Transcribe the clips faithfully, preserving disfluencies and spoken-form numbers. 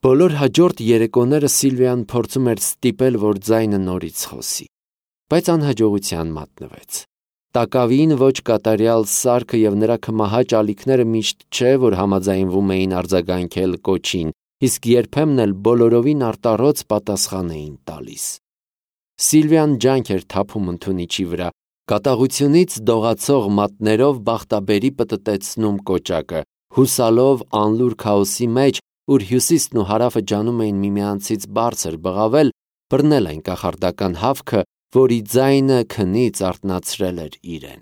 Բոլոր հաջորդ երեկոները Սիլվիան փորձում էր ստիպել, որ ձայնը նորից խոսի, բայց անհաջողության մատնվեց։ Տակավին ոչ կատարյալ սարքը եւ նրա քմահաճ ալիքները միշտ չէ, որ համաձայնվում էին արձագանքել կոչին, իսկ երբեմն էլ բոլորովին արտառոց պատասխան էին տալիս։ Սիլվիան ջանք էր թափում ընդունիչի վրա, կատաղությունից դողացող մատներով բախտաբերի պտտեցնում կոճակը, հուսալով անլուր քաոսի մեջ, ուր հյուսիսն ու հարավը ջանում էին միմյանցից բարձր բղավել, բռնել այն կախարդական հավքը, որի ձայնը քնից արթնացրել էր իրեն։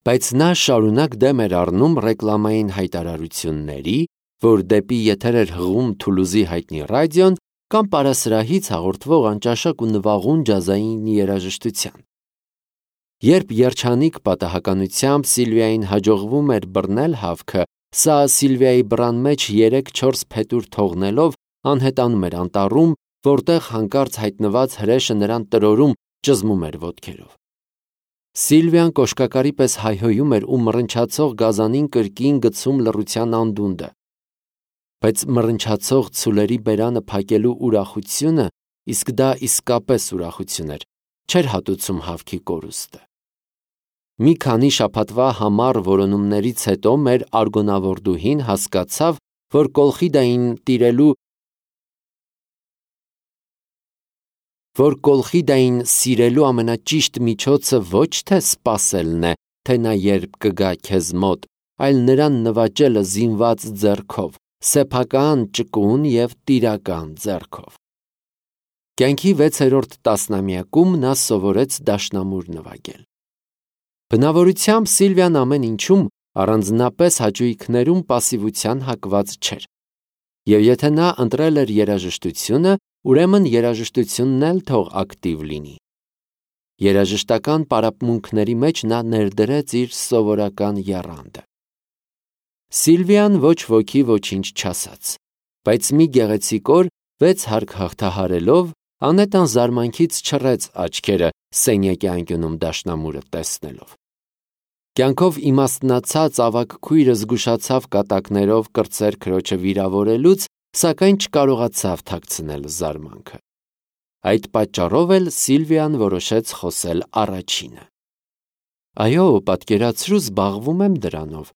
Բայց նա շարունակ դեմ էր առնում ռեկլամային հայտարարությունների, որ դեպի եթեր էր հղում Թուլուզի հայտնի ռադիոն կամ պարասրահից հաղորդվող անճաշակ ու նվաղուն ջազային երաժշտության։ Երբ երջանիկ պատահականությամբ Սիլվիային հաջողվում էր բռնել հավքը, սա Սիլվիայի բռան մեջ երեք-չորս փետուր թողնելով անհետանում էր անտառում, որտեղ հանկարծ հայտնված հրեշը նրան տրորում, ճզմում էր ոտքերով։ Սիլվիան կոշկակարի պես հայհոյում էր ու մռնչացող գազանին կրկին գցում լռության անդունդը։ Բայց մռնչացող ցուլերի բերանը փակելու ուրախությունը, իսկ դա իսկապես ուրախություն էր, չէր հատուցում հավքի կորուստը։ Մի քանի շաբաթվա համառ որոնումներից հետո մեր արգոնավորդուհին հասկացավ, որ Կոլխիդային տիրելու որ Կոլխիդային սիրելու ամենաճիշտ միջոցը ոչ թե սպասելն է, թե նա երբ կգա քեզ մոտ, այլ նրան նվաճելը զինված ձեռքով, սեփական, ճկուն եւ տիրական ձեռքով։ Կյանքի վեցերորդ տասնամյակում նա սովորեց դաշնամուր նվագել։ Բնավորությամբ Սիլվիան ամեն ինչում, առանձնապես հաճույքներում պասիվության հակված չէր։ Եվ եթե նա ընտրել էր երաժշտությունը, ուրեմն երաժշտությունն էլ թող ակտիվ լինի։ Երաժշտական պարապմունքների մեջ նա ներդրեց իր սովորական եռանդը։ Սիլվիան ոչ ոքի ոչինչ չասաց, բայց մի գեղեցիկ օր վեց հարկ հաղթահարելով, անետան զարմանքից չռեց աչքերը սենյակի անկյունում դաշնամուրը տեսնելով։ Կյանքով իմաստնացած ավագ քույրը զգուշացավ կատակներով կրծեր քրոջը վիրավորելուց, սակայն չկարողացավ թաքցնել զարմանքը։ Այդ պատճառով էլ Սիլվիան որոշեց խոսել առաջինը։ Այո, պատկերացրու, զբաղվում եմ դրանով,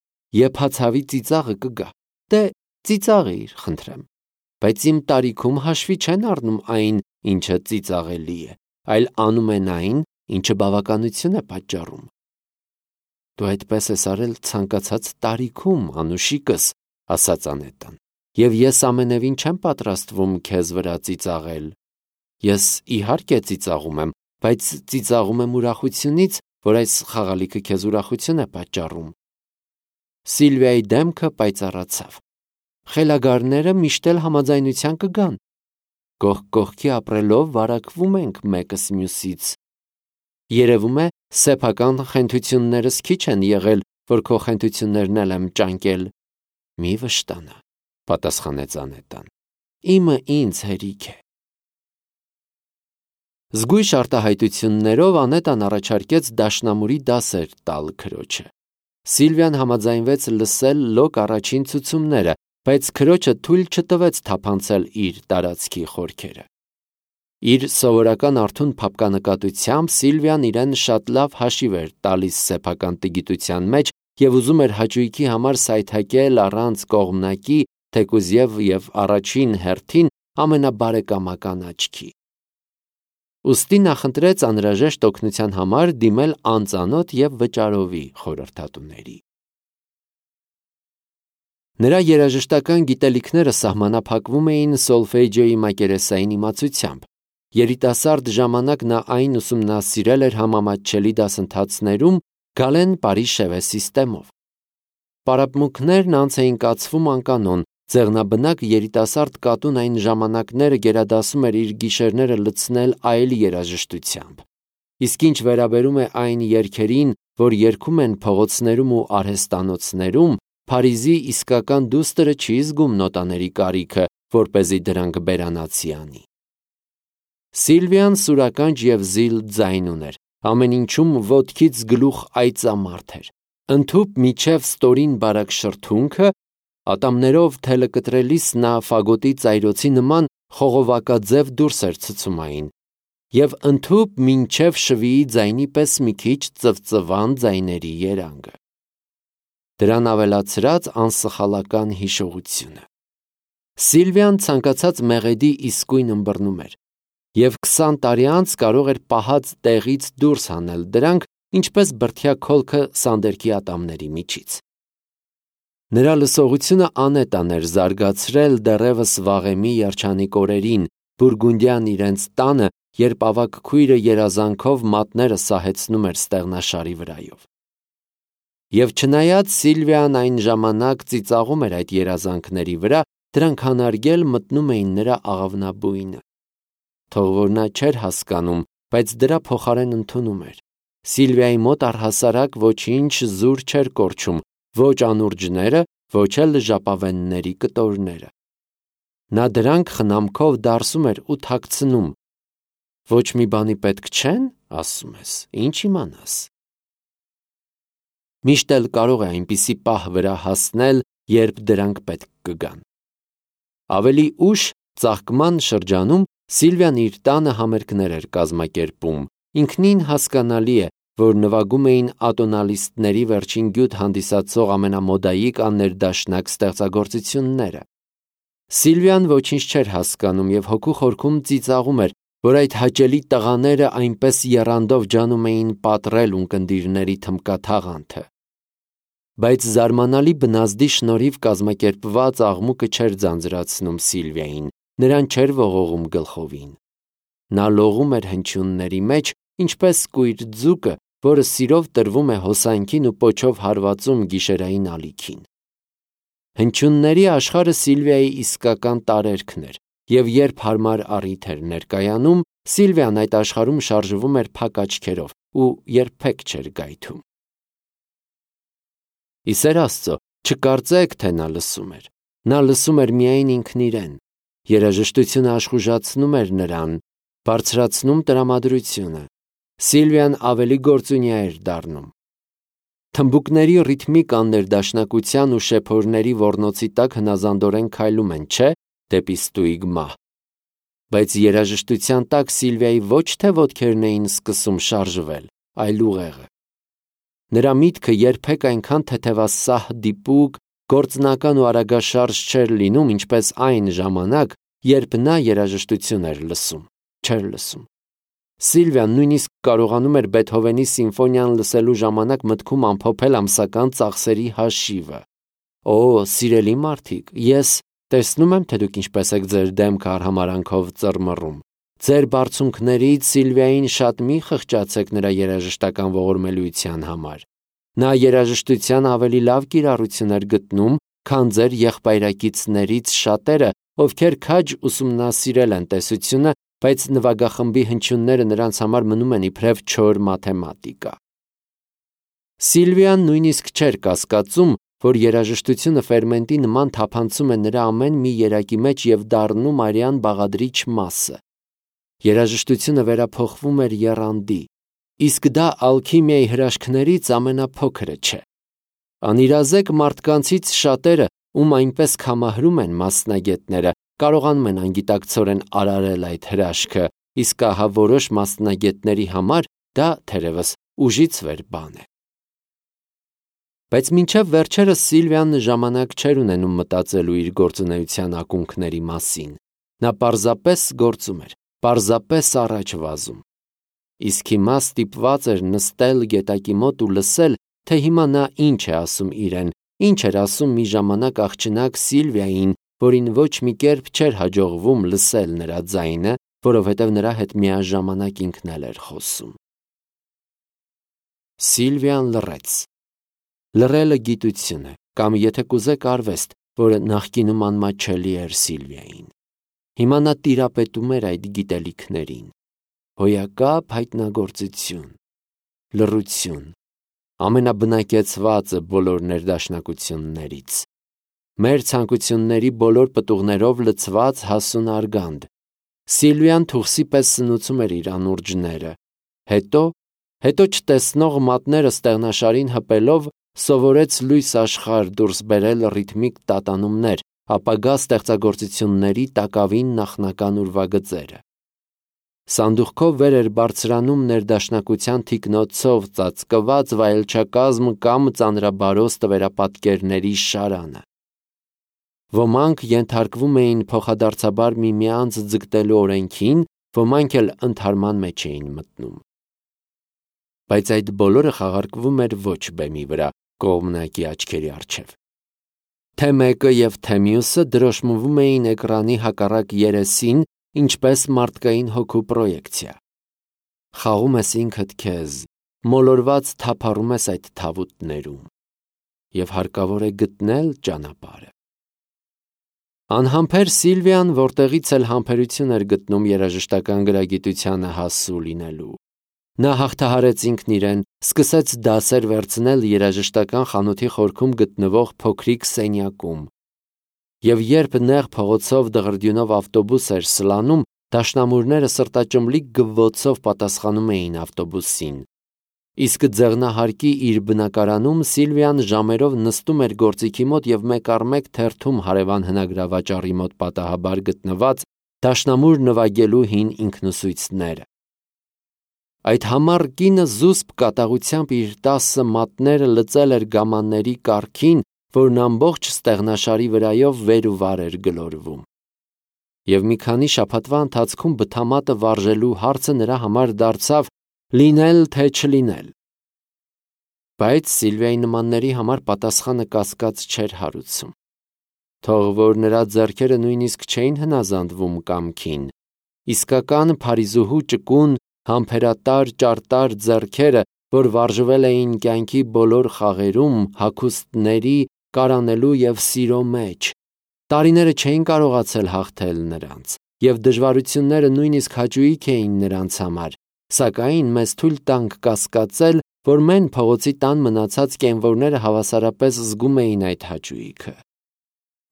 երբ հացավի ծիծաղը կգա։ Դե ծիծաղիր, խնդրեմ։ Բայց իմ տարիքում հաշվի չեն առնում այն, ինչը ծիծաղելի է, այլ անում են այն, ինչը բավականություն է պատճառում։ Դու այդպես ես արել ցանկացած տարիքում, անուշիկս, ասաց Անետան, եւ ես ամենևին չեմ պատրաստվում քեզ վրա ծիծաղել։ Ես իհարկե ծիծաղում եմ, բայց ծիծաղում եմ ուրախությունից, որ այս խաղալիքը քեզ ուրախություն է պատճառում։ Սիլվիայի դեմքը պայծառացավ։ Խելագարները միշտ էլ համաձայնության կգան։ Կողք կողքի ապրելով վարակվում ենք մեկս մյուսից։ Երևում է, սեփական խենթություններս քիչ են եղել, որ քո խենթություններն էլ եմ ճանկել։ Մի վշտանա, պատասխանեց Անետան։ Իմը ինձ հերիք է։ Զգույշ արտահայտություններով Անետան առաջարկեց դաշնամուրի դասեր տալ քրոջը։ Սիլվիան համաձայնվեց լսել լոկ առաջին ցուցումները, բայց քրոջը թույլ չտվեց թափանցել իր տարածքի խորքերը։ Իր սովորական արթուն փափկանկատությամբ Սիլվիան իրեն շատ լավ հաշիվ էր տալիս սեփական տգիտության մեջ եւ ուզում էր հաճույքի համար սայթաքել առանց կողմնակի, թեկուզև եւ առաջին հերթին ամենաբարեկամական աչքի։ Ուստի նախընտրեց անհրաժեշտ օգնության համար դիմել անծանոթ եւ վճարովի խորհրդատուների։ Նրա երաժշտական գիտելիքները սահմանափակվում էին սոլֆեջիոյի մակերեսային իմացությամբ։ Երիտասարդ ժամանակ նա այն ուսումնասիրել էր համամատչելի դասընթացներում Գալեն Պարիշևե սիստեմով։ Պարապմունքներն անց էին կացվում անկանոն, ձեղնաբնակ երիտասարդ կատուն այն ժամանակները գերադասում էր իր գիշերները լցնել այլ երաժշտությամբ։ Իսկ ինչ վերաբերում է այն երգերին, որ երգում են փողոցներում ու արհեստանոցներում, Փարիզի իսկական դուստրը չի զգում նոտաների կարիքը, որպեսզի դրանք բերանացի անի։ Սիլվիան սուրականջ եւ զիլ ձայն ուներ, ամեն ինչում ոտքից գլուխ այծամարդ էր։ Ընդհուպ միջև ստորին բարակ շրթունքը Ատամներով թելը կտրելիս նա ֆագոտի ծայրոցի նման խողովակաձև դուրս էր ցցում այն, և ընդհուպ մինչև շվիի ձայնի պես մի քիչ ծվծվան ձայների երանգը։ Դրան ավելացրած անսխալական հիշողությունը։ Սիլվիան ցանկացած մեղեդի իսկույն ըմբռնում էր, և քսան տարի անց կարող էր պահած տեղից դուրս հանել դրանք, ինչպես բրդյա քոլքը սանդերքի ատամների միջից։ Նրա լսողությունը անետան էր զարգացրել դեռևս վաղեմի երջանիկ օրերին, բուրգունդյան իրենց տանը, երբ ավագ քույրը երազանքով մատները սահեցնում էր ստեղնաշարի վրայով։ Եվ չնայած Սիլվիան այն ժամանակ ծիծաղում էր այդ երազանքների վրա, դրանք հանարգել մտնում էին նրա աղավնաբույնը։ Թող որ նա չէր հասկանում, բայց դրա փոխարեն ընդունում էր։ Սիլվիայի մոտ առհասարակ ոչինչ զուր չէր կորչում, ոչ անուրջները, ոչ էլ ժապավենների կտորները։ Նա դրանք խնամքով դարսում էր ու թաքցնում։ Ոչ մի բանի պետք չեն, ասում ես, ինչ իմանաս։ Միշտ էլ կարող է այնպիսի պահ վրա հասնել, երբ դրանք պետք կգան։ Ավելի ուշ ծաղկման շրջանում Սիլվիան իր տանը համերգներ էր կազմակերպում։ Ինքնին հասկանալի է, որ նվագում էին ատոնալիստների վերջին գյուտ հանդիսացող ամենամոդայիկ աններդաշնակ ստեղծագործությունները։ Սիլվիան ոչինչ չէր հասկանում և հոգու խորքում ծիծաղում էր, որ այդ հաճելի տղաները այնպես եռանդով ջանում էին պատռել ունկնդիրների թմբկաթաղանթը։ Բայց զարմանալի բնազդի շնորհիվ կազմակերպված աղմուկը չէր ձանձրացնում Սիլվիային, նրան չէր ողողում գլխովին։ Նա լողում էր հնչյունների մեջ, ինչպես կույր ձուկը, որը սիրով տրվում է հոսանքին ու պոչով հարվածում գիշերային ալիքին։ Հնչյունների աշխարհը Սիլվիայի իսկական տարերքն էր, և երբ հարմար առիթ էր ներկայանում, Սիլվիան այդ աշխարհում շարժվում էր փակ աչքերով ու երբեք չէր գայթում։ Ի սեր Աստծո, չկարծեք, թե նա լսում էր։ Նա լսում էր միայն ինքն իրեն։ Երաժշտությունը աշխուժացնում էր նրան, բարձրացնում տրամադրությունը։ Սիլվիան ավելի գործունյա էր դառնում։ Թմբուկների ռիթմիկ աններդաշնակության ու շեփորների ոռնոցի տակ հնազանդորեն քայլում են, չէ՞, դեպի ստույգ մահ։ Բայց երաժշտության տակ Սիլվիայի ոչ թե ոտքերն էին սկսում շարժվել, այլ ուղեղը։ Նրա միտքը երբեք այնքան թեթևասահ դիպուկ, գործնական ու արագաշարժ չէր լինում, ինչպես այն ժամանակ, երբ նա երաժշտություն էր լսում, չէր լսում։ Սիլվիան նույնիսկ կարողանում էր Բեթհովենի սիմֆոնիան լսելու ժամանակ մտքում ամփոփել ամսական ծախսերի հաշիվը։ Օ, սիրելի մարդիկ, ես տեսնում եմ, թե դուք ինչպես եք ձեր դեմքը արհամարանքով ծռմռում։ Ձեր բարձունքներից Սիլվիային շատ մի խղճացեք նրա երաժշտական ողորմելիության համար։ Նա երաժշտության ավելի լավ կիրառություն էր գտնում, քան ձեր եղբայրակիցներից շատերը, ովքեր քաջ ուսումնասիրել են տեսությունը, բայց նվագախմբի հնչյունները նրանց համար մնում են իբրև չոր մաթեմատիկա։ Սիլվիան նույնիսկ չէր կասկածում, որ երաժշտությունը ֆերմենտի նման թափանցում է նրա ամեն մի երակի մեջ և դառնում արյան բաղադրիչ մասը։ Երաժշտությունը վերափոխվում էր եռանդի, իսկ դա ալքիմիայի հրաշքներից ամենափոքրը չէ։ Անիրազեկ մարդկանցից շատերը, ում այնպես կամահրում են մասնագետները, կարողանում են անգիտակցորեն արարել այդ հրաշքը, իսկ ահա որոշ մասնագետների համար դա թերևս ուժից վեր բան է։ Բայց մինչև վերջերս Սիլվիան ժամանակ չէր ունենում մտածելու իր գործունեության ակունքների մասին։ Նա պարզապես գործում էր, պարզապես առաջ վազում։ Իսկ հիմա ստիպված էր նստել գետակի մոտ ու լսել, թե հիմա նա ինչ է ասում իրեն, ինչ էր ասում մի ժամանակ աղջնակ Սիլվիային, որին ոչ մի կերպ չէր հաջողվում լսել նրա ձայնը, որովհետև նրա հետ միաժամանակ ինքն էլ էր խոսում։ Սիլվիան լռեց։ Լռելը գիտություն է, կամ եթե կուզեք արվեստ, որը նախկինում անմատչելի էր Սիլվիային։ Հիմա նա տիրապետում էր այդ գիտելիքներին։ Հոյակապ հայտնագործություն, լռություն, ամենաբնակեցվածը բոլոր ներդաշնակություններից։ Մեր ցանկությունների բոլոր պտուղներով լցված հասուն արգանդ։ Սիլվիան թուղսի պես սնուցում էր իր անուրջները։ Հետո, հետո չտեսնող մատները ստեղնաշարին հպելով, սովորեց լույս աշխարհ դուրս բերել ռիթմիկ տատանումներ, ապագա ստեղծագործությունների տակավին նախնական ուրվագծերը։ Սանդուղքով վեր էր բարձրանում ներդաշնակության թիկնոցով ծածկված վայելչակազմ կամ ծանրաբարոս տվերապատկերների շարանը։ Ոմանք ենթարկվում էին փոխադարձաբար միմյանց ձգտելու օրենքին, ոմանք էլ ընդհարման մեջ էին մտնում։ Բայց այդ բոլորը խաղարկվում էր ոչ բեմի վրա, կողմնակի աչքերի առջև։ Թե մեկը և թե մյուսը դրոշմվում էին էկրանի հակառակ երեսին, ինչպես մարդկային հոգու պրոյեկցիա։ Խաղում ես ինքդ քեզ, մոլորված թափառում ես այդ թավուտներում, և հարկավոր է գտնել ճանապարհը։ Անհամբեր Սիլվիան որտեղից էլ համբերություն էր գտնում երաժշտական գրագիտությանը հասու լինելու։ Նա հաղթահարեց ինքն իրեն, սկսեց դասեր վերցնել երաժշտական խանութի խորքում գտնվող փոքրիկ սենյակում։ Եվ երբ նեղ փողոցով դղրդյունով ավտոբուս էր սլանում, դաշնամուրները սրտաճմլիկ գվվոցով պատասխանում էին ավտոբուսին։ Իսկ ձեղնահարկի իր բնակարանում Սիլվիան ժամերով նստում էր գործիքի մոտ և մեկ առ մեկ թերթում հարևան հնագրավաճառի մոտ պատահաբար գտնված դաշնամուր նվագելու հին ինքնուսույցները։ Այդ համառ կինը զուսպ կատաղությամբ իր տասը մատները լծել էր գամանների կառքին, որն ամբողջ ստեղնաշարի վրայով վեր ու վար էր գլորվում։ Եվ մի քանի շաբաթվա ընթացքում բթամատը վարժելու հարցը նրա համար դարձավ լինել թե չլինել։ Բայց Սիլվիայի նմանների համար պատասխանը կասկած չէր հարուցում։ Թող որ նրա ձեռքերը նույնիսկ չէին հնազանդվում կամքին, իսկական Փարիզուհու ճկուն, համբերատար, ճարտար ձեռքերը, որ վարժվել էին կյանքի բոլոր խաղերում, հագուստների, կարանելու և սիրո մեջ, տարիները չէին կարողացել հաղթել նրանց, և դժվարությունները նույնիսկ հաճույք էին նրանց համար, սակայն մեզ թույլ տանք կասկածել, որ մեն փողոցի տան մնացած կենվորները հավասարապես զգում էին այդ հաճույքը։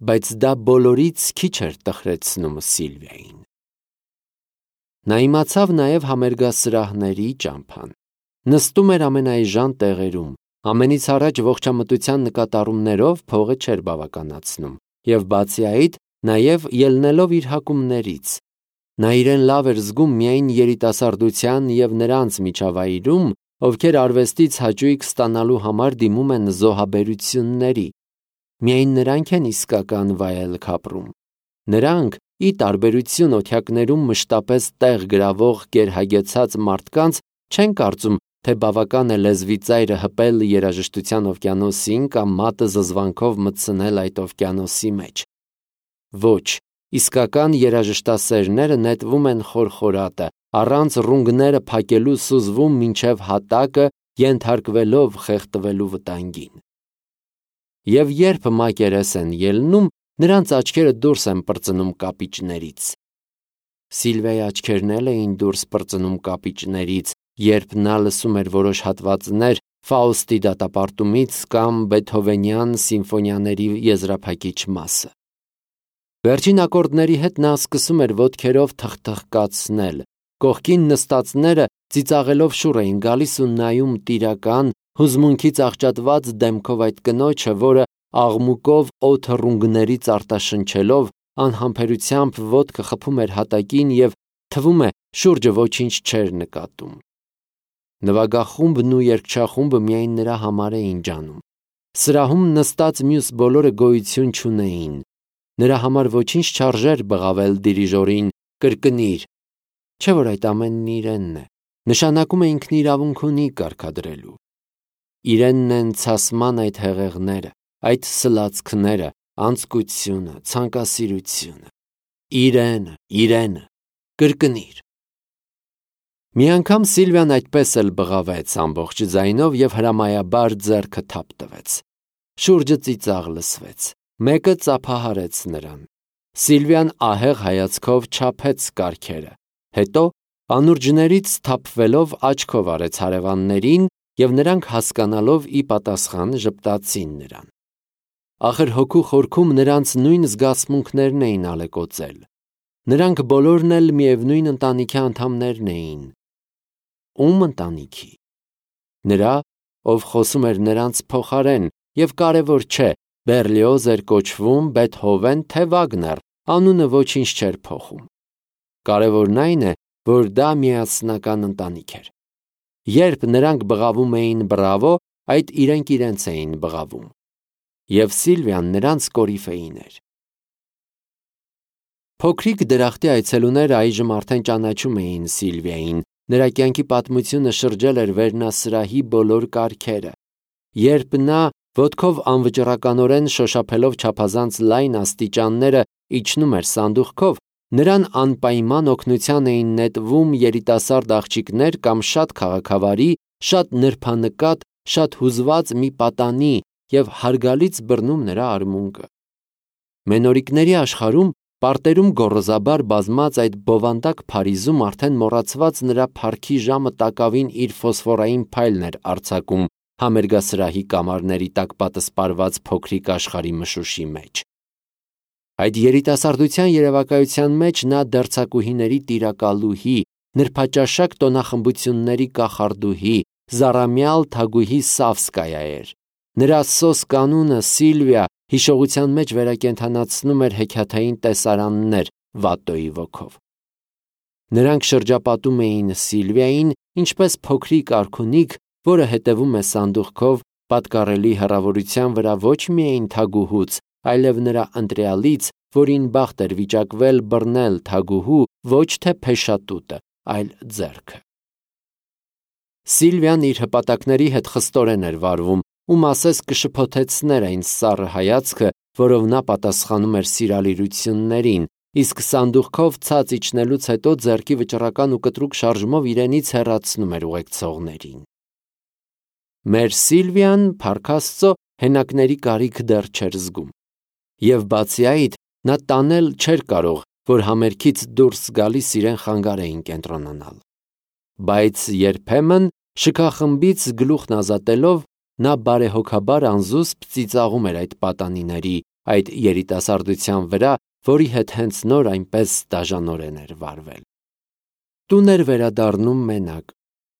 Բայց դա բոլորից քիչ էր տխրեցնում Սիլվիային։ Նա իմացավ նաև համերգասրահների ճամփան։ Նստում էր ամենաէժան տեղերում, ամենից առաջ ողջամտության նկատառումներով փողը չէր բավականացնում, և բացի այդ, նաև ելնելով իր հակումներից։ Նա իրեն լավ էր զգում միայն երիտասարդության և նրանց միջավայրում, ովքեր արվեստից հաճույք ստանալու համար դիմում են զոհաբերությունների։ Միայն նրանք են իսկական վայելք ապրում։ Նրանք, ի տարբերություն օթյակներում մշտապես տեղ գրավող գերհագեցած մարդկանց, չեն կարծում, թե բավական է լեզվի ծայրը հպել երաժշտության օվկիանոսին կամ մատը զզվանքով մտցնել այդ օվկիանոսի մեջ։ Ոչ, իսկական երաժշտասերները նետվում են խորխորատը, առանց ռունգները փակելու սուզվում մինչև հատակը, ենթարկվելով խեղդվելու վտանգին։ Եվ երբ մակերես են ելնում, նրանց աչքերը դուրս են պրծնում կապիճներից։ Սիլվիայի աչքերն էլ էին դուրս պրծնում կապիճներից, երբ նա լսում էր որոշ հատվածներ Ֆաուստի դատապարտումից կամ Բեթհովենյան սիմֆոնիաների եզրափակիչ մասը։ Վերջին ակորդների հետ նա սկսում էր ոտքերով թխթխկացնել, կողքին նստածները ծիծաղելով շուռ էին գալիս ու նայում տիրական, հուզմունքից աղճատված դեմքով այդ կնոջը, որը աղմուկով օդը ռունգներից արտաշնչելով անհամբերությամբ ոտքը խփում էր հատակին և թվում է շուրջը ոչինչ չէր նկատում։ Նվագախումբն ու երգչախումբը միայն նրա համար էին ջանում։ Սրահում նստած մյուս բոլորը գոյություն չունեին։ Նրա համար ոչինչ չարժեր բղավել դիրիժորին «կրկնիր», չէ՞ որ այդ ամենն իրենն է, նշանակում է ինքն իրավունք ունի կարգադրելու։ Իրենն են ցասման այդ հեղեղները, այդ սլացքները, անձկությունը, ցանկասիրությունը։ Իրենը, իրենը, կրկնիր։ Մի անգամ Սիլվիան այդպես էլ բղավեց ամբողջ ձայնով և հրամայաբար ձեռքը թափ տվեց։ Շուրջը ծիծաղ լսվեց։ Մեկը ծափահարեց նրան։ Սիլվիան ահեղ հայացքով չափեց կառքերը, հետո անուրջներից թափվելով աչքով արեց հարևաններին, և նրանք հասկանալով ի պատասխան ժպտացին նրան։ Ախր հոգու խորքում նրանց նույն զգացմունքներն էին ալեկոծել։ Նրանք բոլորն էլ միևնույն ընտանիքի անդամներն էին։ Ում ընտանիքի։ Նրա, ով խոսում էր նրանց փոխարեն, եւ կարևոր չէ, Բերլիոզ էր կոչվում, Բեթհովեն, թե Վագներ, անունը ոչինչ չէր փոխում։ Կարևորն այն է, որ դա միասնական ընտանիք էր։ Երբ նրանք բղավում էին բրավո, այդ իրենք իրենց էին բղավում։ Եվ Սիլվիան նրանց կորիֆեին էր։ Փոքրիկ դրախտի այցելուները այժմ արդեն ճանաչում էին Սիլվիային, նրա կյանքի պատմությունը շրջել էր վերնասրահի բոլոր կարգերը։ Երբ նա ոտքով անվճռականորեն շոշափելով չափազանց լայն աստիճանները իջնում էր սանդուղքով, նրան անպայման օգնության էին նետվում երիտասարդ աղջիկներ կամ շատ քաղաքավարի, շատ նրբանկատ, շատ հուզված մի պատանի և հարգալից բռնում նրա արմունկը։ Մենորիկների աշխարհում, պարտերում գոռոզաբար բազմած այդ բովանդակ Փարիզում արդեն մոռացված նրա փառքի ժամը տակավին իր ֆոսֆորային փայլն էր արձակում համերգասրահի կամարների տակ պատսպարված փոքրիկ աշխարհի մշուշի մեջ։ Այդ երիտասարդության երևակայության մեջ նա դերձակուհիների տիրակալուհի, նրբաճաշակ տոնախմբությունների կախարդուհի, զառամյալ թագուհի Սավսկայա էր։ Նրա սոսկ անունը Սիլվիա հիշողության մեջ վերակենդանացնում էր հեքիաթային տեսարաններ Վատտոյի ոգով։ Նրանք շրջապատում էին Սիլվիային, ինչպես փոքրիկ արքունիք, որը հետևում է սանդուղքով, պատկառելի հեռավորության վրա ոչ միայն թագուհուց, այլև նրա ընտրյալից, որին բախտ էր վիճակվել բռնել թագուհու ոչ թե փեշատուտը, այլ ձեռքը։ Սիլվիան իր հպատակների հետ խստորեն էր վարվում, ում ասես կշփոթեցներ այն սառը հայացքը, որով նա պատասխանում էր սիրալիրություններին, իսկ սանդուղքով ցած իջնելուց հետո ձեռքի վճռական ու կտրուկ շարժումով իրենից հեռացնում էր ուղեկցողներին։ Մեր Սիլվիան, փառք Աստծո, հենակների կարիք դեռ չէր զգում։ Եվ բացի այդ, նա տանել չէր կարող, որ համերգից դուրս գալիս իրեն խանգարեին կենտրոնանալ։ Բայց երբեմն, շքախմբից գլուխն ազատելով, նա բարեհոգաբար անզուսպ ծիծաղում էր այդ պատանիների, այդ երիտասարդության վրա, որի հետ հենց նոր այնպես դաժանորեն էր վարվել։ Տուն էր վերադառնում մենակ,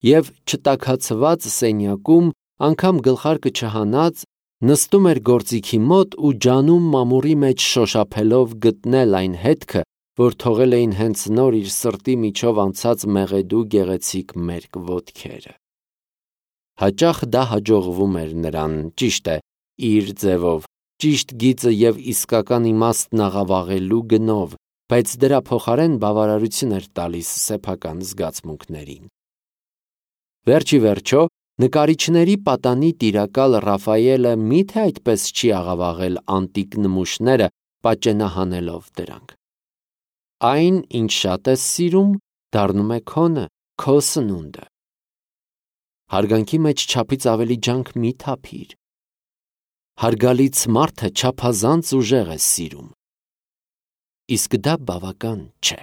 և չտաքացված սենյակում, անգամ գլխարկը չհանած, նստում էր գործիքի մոտ ու ջանում մամուռի մեջ շոշափելով գտնել այն հետքը, որ թողել էին հենց նոր իր սրտի միջով անցած մեղեդու գեղեցիկ մերկ ոտքերը։ Հաճախ դա հաջողվում էր նրան, ճիշտ է, իր ձևով, ճիշտ գիծը և իսկական իմաստն աղավաղելու գնով, բայց դրա փոխարեն բավարարություն էր տալիս սեփական զգացմունքներին։ Վերջի վերջո, նկարիչների պատանի տիրակալ Ռաֆայելը մի՞թե այդպես չի աղավաղել անտիկ նմուշները, պատճենահանելով դրանք։ Այն, ինչ շատ ես սիրում, դառնում է քոնը, քո սնունդը։ Հարգանքի մեջ չափից ավելի ջանք մի թափիր։ Հարգալից մարդը չափազանց ուժեղ է սիրում։ Իսկ դա բավական չէ։